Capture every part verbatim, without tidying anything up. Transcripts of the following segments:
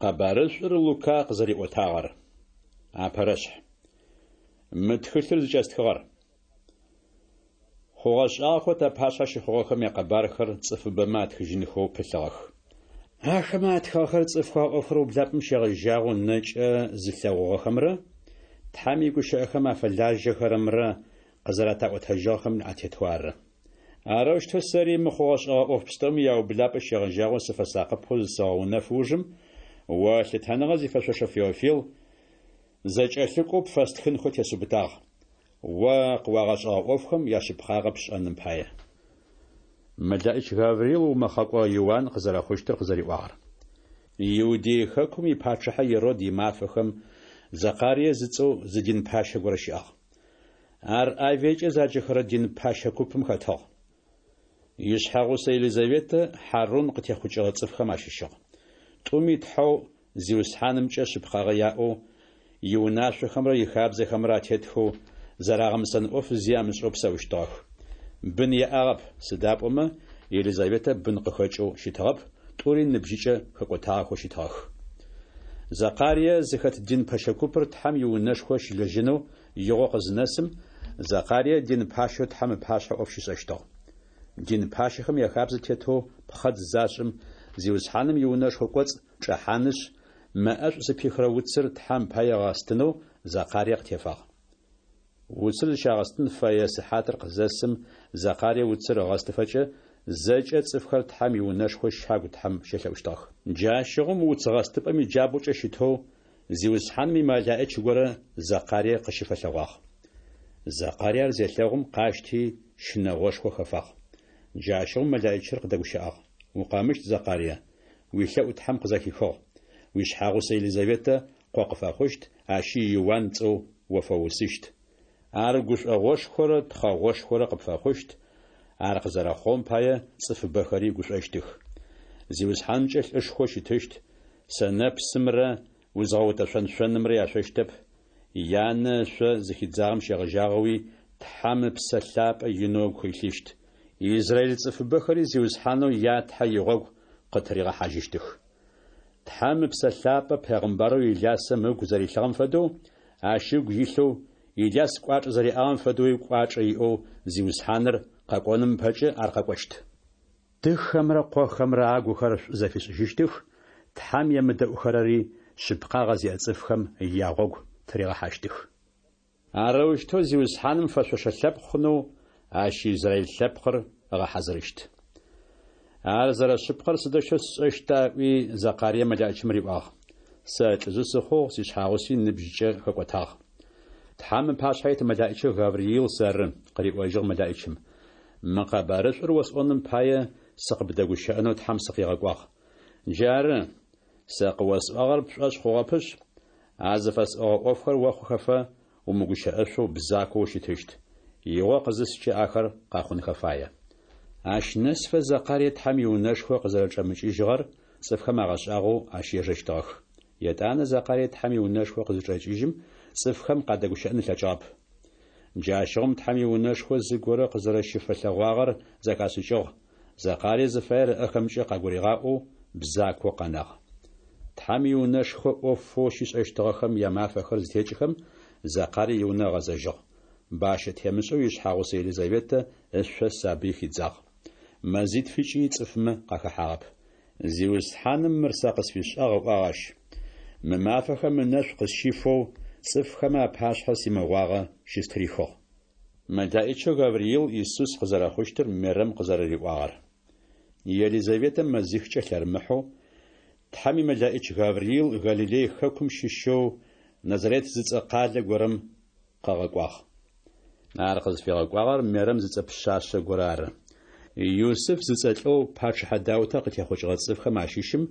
Къэбарышӏур Лука къызэриӏотагъэр. Апэрэшъхь. Мы тхылъыр зыкӏэстхыгъэр. Хъугъэ-шӏагъэхэу тапашъхьэ щыхъугъэхэм якъэбархэр цӏыфыбэмэ атхыжьынхэу пылъыгъэх. Ахэмэ атхыгъэхэр цӏыфхэу а ӏофхэр ублапӏэм щегъэжьагъэу нэкӏэ зылъэгъугъэхэмрэ Тхьэм игущыӏэхэм афэлажьэхэрэмрэ къызэрэтаӏотэжьыгъэхэм атетэу ары. Арэущтэу сэри мы хъугъэ-шӏэгъэ ӏоф пстэуми яублапӏэ щегъэжьагъэу сыфэсакъыпэу зысэгъэунэф ужым, о лъытэныгъэ зифэшъошэ Феофил, зэкӏэлъыкӏоу пфэстхынхэу тесыубытагъ, о къыуагъэшӏэгъэ ӏофхэм яшъыпкъагъэ пшӏэным пае. Мэлэӏич Гавриил умэхъэкӏо Иуан къызэрэхъущтыр къызэриӏуагъэр. Иудей хэкум ипачъыхьэ Ирод имафэхэм Зэкъарие зыцӏэу зы дин пащэ горэ щыӏагъ. Ар Авиекӏэ заджэхэрэ дин пэщэ купым хэтыгъ. Ишъхьэгъусэ Елизаветэ Хьарун къытехъукӏыгъэ цӏыфхэм ащыщыгъ. Тӏуми Тхьэу Зиусхьанымкӏэ шъыпкъагъэ яӏэу, иунашъохэмрэ ихабзэхэмрэ атетхэу, зэрагъэмысэн ӏоф зи амышӏэу псэущтыгъэх. Бын яӏагъэп, сыда пӏомэ Елизаветэ бын къыхэкӏэу щытыгъэп, тӏури ныбжьыкӏэ хэкӏотагъэхэу щытыгъэх. Зэкъарие зыхэт дин пэщэ купыр Тхьэм иунэшхо щылэжьэнэу игъо къызынэсым, Зэкъарие дин пащэу Тхьэм ыпашъхьэ ӏоф щишӏэщтыгъ. Дин пащэхэм яхабзэ тетэу пхъэдз зашӏым, Зиусхьаным иунэшхо кӏоцӏ чӏэхьанышъ, мэ ӏэшӏу зыпихырэ уцыр Тхьэм пае ыгъэстынэу Зэкъарие къытефагъ. Уцыр зыщагъэстын фэе сыхьатыр къызэсым, Зэкъарие уцыр ыгъэстыфэкӏэ, зэкӏэ цӏыфхэр Тхьэм иунэшхо щагу Тхьэм щелъэӏущтыгъэх. Джащыгъум уц гъэстыпӏэм иджабгъукӏэ щытэу, Зиусхьаным имэлаӏич горэ Зэкъарие къыщыфэлъэгъуагъ. Зэкъарие ар зелъэгъум, къащти, щынэгъошхо хэфагъ. Джащыгъум мэлаӏичыр къыдэгущыӏагъ: Укъэмыщт, Зэкъарие, уилъэӏу Тхьэм къызэхихыгъ. Уишъхьагъусэ Елизаветэ къо къыфэхъущт, ащи Иуан цӏэу о фэуусыщт. Ар гушӏогъошхорэ тхъэгъошхорэ къыпфэхъущт, ар къызэрэхъугъэм пае цӏыфыбэхэри гушӏощтых. Зиусхьанымкӏэ лӏышхоу щытыщт, сэнэпсымрэ узгъэутэшъон шъонымрэ яшъощтэп, янэ ышъо зыхидзагъэм щегъэжьагъэуи Тхьэм Ыпсэ Лъапӏэ инэу ыгу илъыщт. Израиль цӏыфыбэхэри Зиусхьанэу я Тхьэ игъогу къытыригъэхьажьыщтых. Тхьэм Ыпсэ Лъапӏэ пегъымбарэу Илясэм ыгу зэрилъыгъэм фэдэу, ащ ыгу илъэу, Иляс кӏуачӏэ зэриӏагъэм фэдэуи кӏуачӏэ иӏэу Зиусхьаныр къэкӏоным ыпэкӏэ ар къэкӏощт. Тыхэмрэ къохэмрэ агухэр шӏу зэфишӏыжьыщтых, Тхьэм емыдэӏухэрэри шъыпкъагъэ зиӏэ цӏыфхэм ягъогу тыригъэхьащтых. Арэущтэу Зиусхьаным фэшъошэ лъэпкъ хъунэу ащ израиль лъэпкъыр ыгъэхьазырыщт. Ар зэрэшъыпкъэр сыдэущтэу сшӏэщта? ыӏуи, Зэкъарие мэлэӏичым риӏуагъ. Сэ лӏыжъы сыхъугъ, сишъхьагъуси ныбжькӏэ хэкӏотагъ. Тхьэм ыпашъхьэ ит мэлэӏичэу Гавриил сэры, къыриӏожьыгъ мэлэӏичым. Мы къэбарышӏур осӏоным пае, сыкъыбдэгущыӏэнэу Тхьэм сыкъигъэкӏуагъ. Джары, сэ къыосӏуагъэр пшӏошъ хъугъэпышъ, а зыфэсӏогъэ ӏофхэр охъухэфэ, умыгущыӏэшъоу бзакоу ущытыщт. Игъо къызыскӏэ ахэр къэхъунхэ фае. Ащ нэсыфэ Зэкъарие Тхьэм иунэшхо къызэрэчӏэмыкӏыжьыгъэр цӏыфхэм агъэшӏагъоу ащ ежэщтыгъэх. Етӏанэ Зэкъарие Тхьэм иунэшхо къызычӏэкӏыжьым, цӏыфхэм къадэгущыӏэн ылъэкӏыгъэп. Джащыгъум Тхьэм иунэшхо зыгорэ къызэрэщыфэлъэгъуагъэр зэхашӏыкӏыгъ, Зэкъарие зыфаер ыӏэхэмкӏэ къагуригъаӏоу бзакоу къэнагъ. Тхьэм иунэшхо ӏофэу щишӏэщтыгъэхэм ямафэхэр зытекӏыхэм, Зэкъарие иунэ ыгъэзэжьыгъ. Бащэ темышӏэу ишъхьагъусэ Елизаветэ ышъо сабый хидзагъ. Мэзитфыкӏи цӏыфмэ къахэхьагъэп. Зиусхьаным мыр сэ къысфишӏагъ, ыӏуагъ ащ, мы мафэхэм ынэшӏу къысщифэу, цӏыфхэмэ апашъхьэ симыгъуагъэ щыстырихыгъ. Мэлаӏичэу Гавриил Исус къызэрэхъущтыр Мерэм къызэрэриӏуагъэр. Елизаветэ мэзихкӏэ лъэрымыхьэу, Тхьэм имэлаӏич Гавриил Галилей хэкум щыщэу Назарет зыцӏэ къалэ горэм къыгъэкӏуагъ. Ар къызфигъэкӏуагъэр Мерэм зыцӏэ пшъашъэ горэ ары. Юсыф зыцӏэ лӏэу пачъыхьэ Даутэ къытехъукӏыгъэ цӏыфхэм ащыщым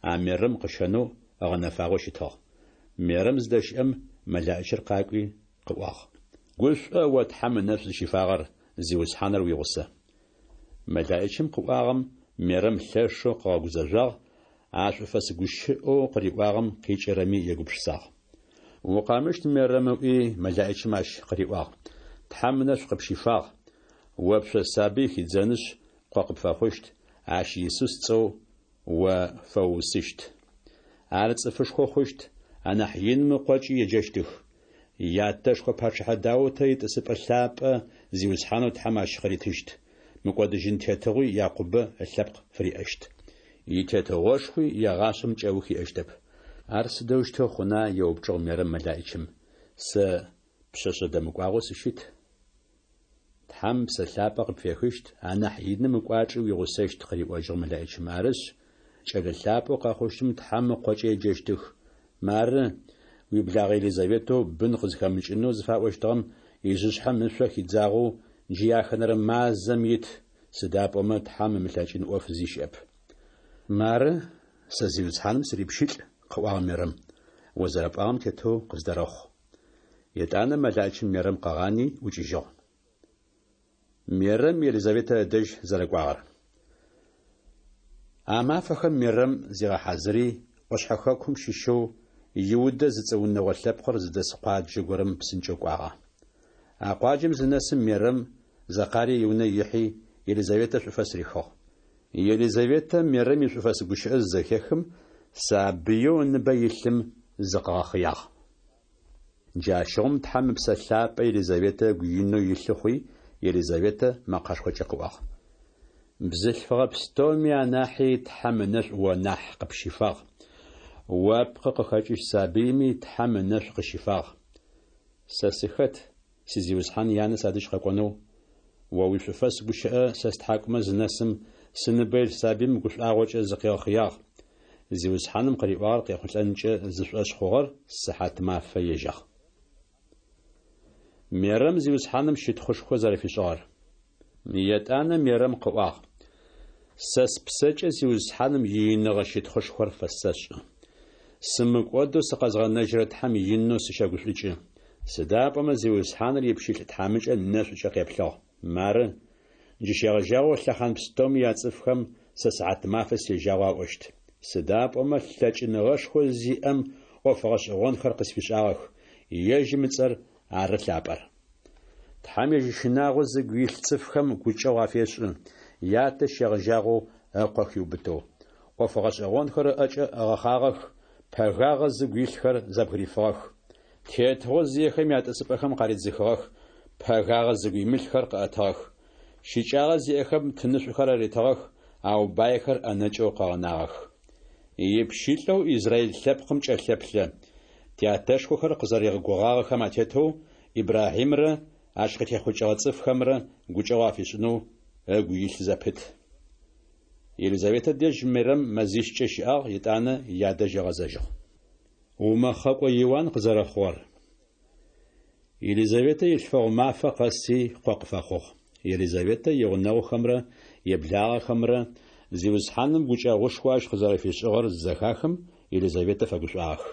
а Мерэм къыщэнэу ыгъэнэфагъэу щытыгъ. Мерэм зыдэщыӏэм мэлаӏичыр къакӏуи къыӏуагъ. Гушӏо, о Тхьэм ынэшӏу зыщифагъэр, Зиусхьаныр уигъусэ. Мэлаӏичым къыӏуагъэм Мерэм лъэшэу къыгъэгузэжъуагъ, а шӏуфэс гущыӏэу къыриӏуагъэм къикӏырэми егупшысагъ. Укъэмыщт, Мерэм, ыӏуи, мэлаӏичым ащ къыриӏуагъ, Тхьэм ынэшӏу къыпщифагъ, о пшъо сабый хидзэнышъ, къо къыпфэхъущт, ащ Исус цӏэу о фэуусыщт. Ар цӏыфышхо хъущт, анахь Иным Ыкъокӏи еджэщтых. Ятэшхо пачъыхьэ Даутэ итӏысыпӏэ лъапӏэ Зиусхьанэу Тхьэм ащ къыритыщт. Мыкӏодыжьын тетыгъуи Якъубэ ылъэпкъ фыриӏэщт. Итетыгъошхуи егъашӏэм кӏэух иӏэщтэп. Ар сыдэущтэу хъуна? еупчӏыгъ Мерэм мэлаӏичым. Сэ пшъэшъэ дэмыкӏуагъэу сыщыт. Тхьэм Псэ Лъапӏэ къыпфехыщт, анахь Иным ыкӏуачӏи уигъусэщт, къыриӏожьыгъ мэлаӏичым. Арышъ, кӏэлэ лъапӏэу къэхъущтым Тхьэм Ыкъокӏэ еджэщтых. Мары, уиблагъэ Елизаветэу бын къызхэмыкӏынэу зыфаӏощтыгъэм ижъышъхьэм ышъо хидзагъэу джы яхэнэрэ мазэм ит, сыда пӏомэ Тхьэм ымылъэкӏын ӏоф зи щыӏэп. Мары, сэ Зиусхьаным сырипщылӏ, къыӏуагъ Мерэм. О зэрэпӏуагъэм тетэу къыздэрэхъу. Етӏанэ мэлаӏичым Мерэм къыгъани ӏукӏыжьыгъ. Мерэм Елизаветэ ыдэжь зэрэкӏуагъэр. А мафэхэм Мерэм зигъэхьазыри, ӏошъхьэ хэкум щыщэу Иудэ зыцӏэ унэгъо лъэпкъыр зыдэс къуаджэ горэм псынкӏэу кӏуагъэ. А къуаджэм зынэсым, Мерэм Зэкъарие иунэ ихьи, Елизаветэ шӏуфэс рихыгъ. Елизаветэ Мерэм ишӏуфэс гущыӏэ зызэхехым, сабыеу ыныбэ илъым зыкъыгъэхъыягъ. Джащыгъум Тхьэм Ыпсэ Лъапӏэ Елизаветэ ыгу инэу илъы хъуи, Елизаветэ мэкъэшхокӏэ къыӏуагъ: Бзылъфыгъэ пстэуми анахьи Тхьэм ынэшӏу о нахь къыпщифагъ. О пкъы къыхэкӏыщт сабыйми Тхьэм ынэшӏу къыщифагъ. Сэ сыхэт, си Зиусхьан янэ садэжь къэкӏонэу? О уишӏуфэс гущыӏэ сэ стхьакӏумэ зынэсым, сыныбэ илъ сабыим гушӏуагъокӏэ зыкъигъэхъыягъ. Зиусхьаным къыриӏуагъэр къехъулӏэнкӏэ зышӏошъ хъугъэр сыхьатмафэ ежьагъ. Мерэм Зиусхьаным щытхъушхо зэрэфишӏыгъэр. Етӏанэ Мерэм къыӏуагъ: Сэ спсэкӏэ Зиусхьаным ииныгъэ щытхъушхор фэсэшӏы. Сымыкӏодэу сыкъэзгъэнэжьырэ Тхьэм инэу сыщэгушӏукӏы. Сыда пӏомэ Зиусхьаныр ипщылӏ тхьамыкӏэ нэшӏукӏэ къеплъыгъ. Мары, джы щегъэжьагъэу лъэхъан пстэуми яцӏыфхэм сэ сыхьатмафэ сежьагъэу аӏощт. Сыда пӏомэ лъэкӏыныгъэшхо зиӏэм ӏоф гъэшӏэгъонхэр къысфишӏагъэх, ежьым ыцӏэр ары лъапӏэр. Тхьэм ежь ищынагъо зыгу илъ цӏыфхэм гукӏэгъу афешӏы, ятэ щегъэжьагъэу ыкъо хиубытэу. ӏоф гъэшӏэгъонхэр ыӏэкӏэ ыгъэхъагъэх, пэгагъэ зыгу илъхэр зэбгырифыгъэх. Тетыгъо зиехэм ятӏысыпӏэхэм къаридзыхыгъэх, пэгагъэ зыгу имылъхэр къыӏэтыгъэх. Щыкӏагъэ зиӏэхэм тынышӏухэр аритыгъэх, ау байхэр ӏэнэкӏэу къыгъэнагъэх. Ипщылӏэу Израиль лъэпкъым кӏэлъэплъэ, тятэшхохэр къызэригъэгугъагъэхэм атетэу Ибрахьимрэ ащ къытехъукӏыгъэ цӏыфхэмрэ гукӏэгъу афишӏынэу ыгу илъ зэпыт. Елизаветэ дэжь Мерэм мэзищкӏэ щыӏагъ, етӏанэ ядэжь ыгъэзэжьыгъ. Умэхъэкӏо Иуан къызэрэхъугъэр. Елизаветэ илъфэгъу мафэ къэси къо къыфэхъугъ. Елизаветэ игъунэгъухэмрэ иблагъэхэмрэ Зиусхьаным гукӏэгъушхо ащ къызэрэфишӏыгъэр зызэхахым, Елизаветэ фэгушӏуагъэх.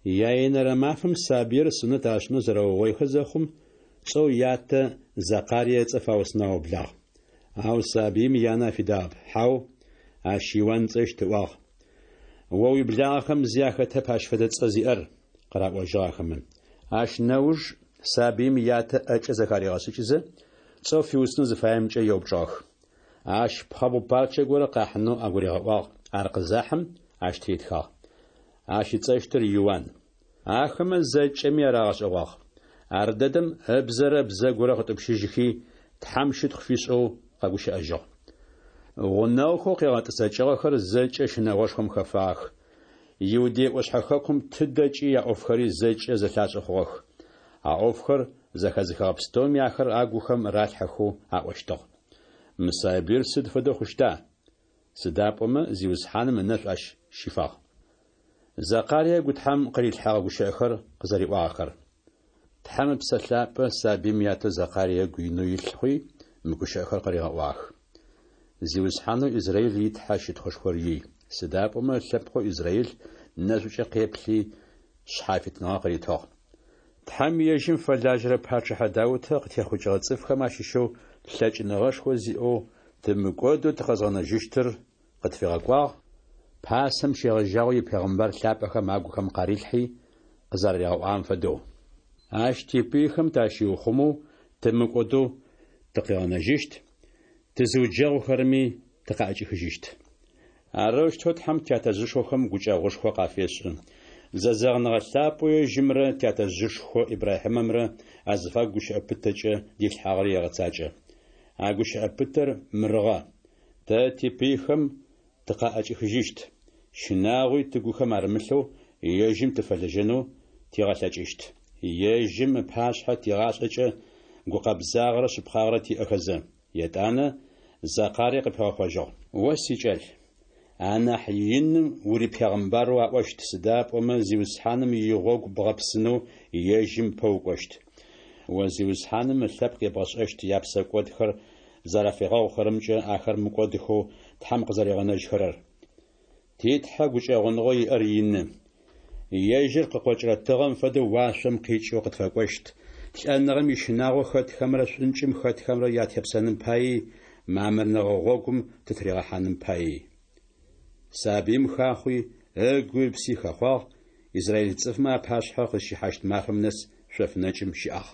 Яенэрэ мафэм сабыир сунэт ашӏынэу зэрэугъоихэ зэхъум, цӏэу ятэ Зэкъарие ыцӏэ фаусынэу аублагъ. Ау сабыим янэ афидагъэп: Хьау, ащ Иуан ыцӏэщт, ыӏуагъ. О уиблагъэхэм зи ахэтэп ащ фэдэ цӏэ зиӏэр, къыраӏожьыгъ ахэмэ. Ащ нэуж сабыим ятэ ӏэкӏэ зэхаригъэшӏыкӏызэ, цӏэу фиусынэу зыфаемкӏэ еупчӏыгъэх. Ащ пхъэбгъу парчэ горэ къахьынэу агуригъэӏуагъ, ар къызахьым, ащ тыритхагъ: Ащ ыцӏэщтыр Иуан. Ахэмэ зэкӏэми ар агъэшӏэгъуагъ. Ардэдэм ыбзэрэ бзэгурэ къытӏупщыжьыхи, Тхьэм щытхъу фишӏэу къэгущыӏэжьыгъ. Гъунэгъухэу къегъэтӏысэкӏыгъэхэр зэкӏэ щынэгъошхом хэфагъэх. Иудей ӏошъхьэ хэкум тыдэкӏи яӏофхэри зэкӏэ зэлъашӏэ хъугъэх. А ӏофхэр зэхэзыхыгъэ пстэуми ахэр агухэм ралъхьэхэу аӏощтыгъ: Мы сабыир сыд фэдэу хъущта? Сыда пӏомэ Зиусхьаным ынэшӏу ащ щифагъ. Зэкъарие ыгу Тхьэм къырилъхьэгъэ гущыӏэхэр къызэриӏуагъэхэр. Тхьэм Ыпсэ Лъапӏэ сабыим ятэу Зэкъарие ыгу инэу илъ хъуи, мы гущыӏэхэр къыригъэӏуагъэх: Зиусхьанэу Израиль и Тхьэ щытхъушхор ий, сыда пӏомэ ылъэпкъэу Израиль нэшӏукӏэ къеплъи, шъхьафитныгъэ къыритыгъ. Тхьэм ежьым фэлажьэрэ пачъыхьэ Даутэ къытехъукӏыгъэ цӏыфхэм ащыщэу лъэкӏыныгъэшхо зиӏэу тымыкӏодэу тыкъэзгъэнэжьыщтыр къытфигъэкӏуагъ, пасэм щегъэжьагъэу ипегъымбар лъапӏэхэм агухэм къарилъхьи, къызэраригъэӏуагъэм фэдэу. Ащ типыйхэм тащиухъумэу тымыкӏодэу тыкъигъэнэжьыщт, тызыуджэгъухэрэми тыкъаӏэкӏихыжьыщт. Арэущтэу Тхьэм тятэжъышхохэм гукӏэгъушхо къафешӏы, зэзэгъыныгъэ лъапӏэу ежьымрэ тятэжъышхо Ибрахьимэмрэ азыфагу гущыӏэ пытэкӏэ дилъхьагъэри егъэцакӏэ. А гущыӏэ пытэр мырыгъэ, Тэ типыйхэм тыкъаӏэкӏихыжьыщт, щынагъуи тыгухэм арымылъэу ежьым тыфэлэжьэнэу тигъэлъэкӏыщт. Ежьым ыпашъхьэ тигъашӏэкӏэ гукъэбзагъэрэ шъыпкъагъэрэ тиӏэхэзэ. Етӏанэ Зэкъари къыпигъэхъожьыгъ. О сикӏал, анахь Иным урипегъымбарэу аӏощт, сыда пӏомэ Зиусхьаным игъогу бгъэпсынэу ежьым ыпэ укӏощт. О Зиусхьаным ылъэпкъ ебгъэшӏэщт япсэкӏодхэр зэрафигъэгъухэрэмкӏэ ахэр мыкӏодыхэу Тхьэм къызэригъэнэжьхэрэр. Ти Тхьэ гукӏэгъуныгъэу иӏэр ины. Ежьыр къыкъокӏырэ тыгъэм фэдэу уашъом къикӏэу къытфэкӏощт, лӏэныгъэм ищынагъо хэтхэмрэ шӏункӏым хэтхэмрэ ятепсэным паий, мамырныгъэ гъогум тытыригъэхьаным паий. Сабыим хахъуи, ыгуи ыпси хэхъуагъ, израиль цӏыфмэ апашъхьэ къызщихьащт мафэм нэс шъоф нэкӏым щыӏагъ.